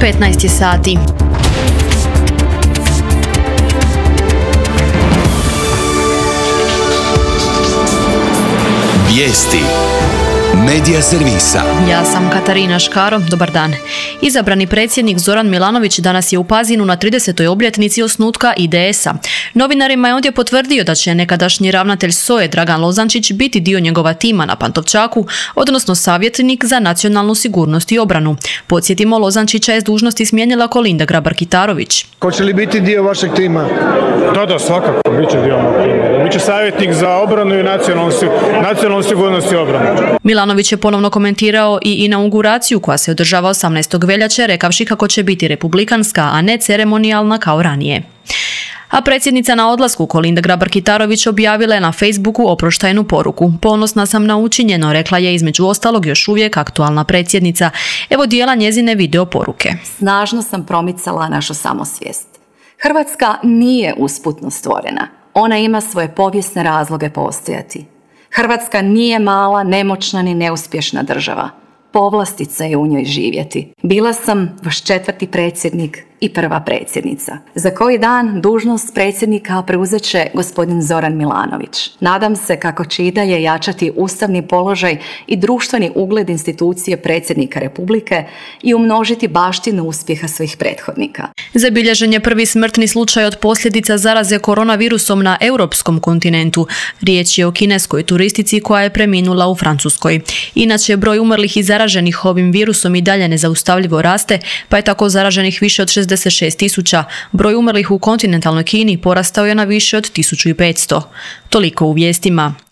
15 je sati. Vijesti Medija servisa. Ja sam Katarina Škaro, dobar dan. Izabrani predsjednik Zoran Milanović danas je u Pazinu na 30. obljetnici osnutka IDS-a. Novinarima je ondje potvrdio da će nekadašnji ravnatelj SOA-e Dragan Lozančić biti dio njegova tima na Pantovčaku, odnosno savjetnik za nacionalnu sigurnost i obranu. Podsjetimo, Lozančića je s dužnosti smijenila Kolinda Grabar-Kitarović. Hoće li biti dio vašeg tima? Da, svakako, bit će dio mog tima. Biće savjetnik za obranu i nacionalnu sigurnost i obranu. Milanović je ponovno komentirao i inauguraciju koja se održava 18. veljače, rekavši kako će biti republikanska, a ne ceremonijalna kao ranije. A predsjednica na odlasku Kolinda Grabar-Kitarović objavila je na Facebooku oproštajnu poruku. Ponosna sam na učinjeno, rekla je između ostalog još uvijek aktualna predsjednica. Evo dijela njezine video poruke. Snažno sam promicala našu samosvijest. Hrvatska nije usputno stvorena. Ona ima svoje povijesne razloge postojati. Hrvatska nije mala, nemoćna ni neuspješna država. Povlastica je u njoj živjeti. Bila sam vaš 4. predsjednik i prva predsjednica. Za koji dan dužnost predsjednika preuzet će gospodin Zoran Milanović. Nadam se kako će i dalje jačati ustavni položaj i društveni ugled institucije predsjednika Republike i umnožiti baštinu uspjeha svojih prethodnika. Zabilježen je prvi smrtni slučaj od posljedica zaraze koronavirusom na europskom kontinentu. Riječ je o kineskoj turistici koja je preminula u Francuskoj. Inače, broj umrlih i zaraženih ovim virusom i dalje nezaustavljivo raste, pa je tako zaraženih više od 66.000. Broj umrlih u kontinentalnoj Kini porastao je na više od 1500. Toliko u vijestima.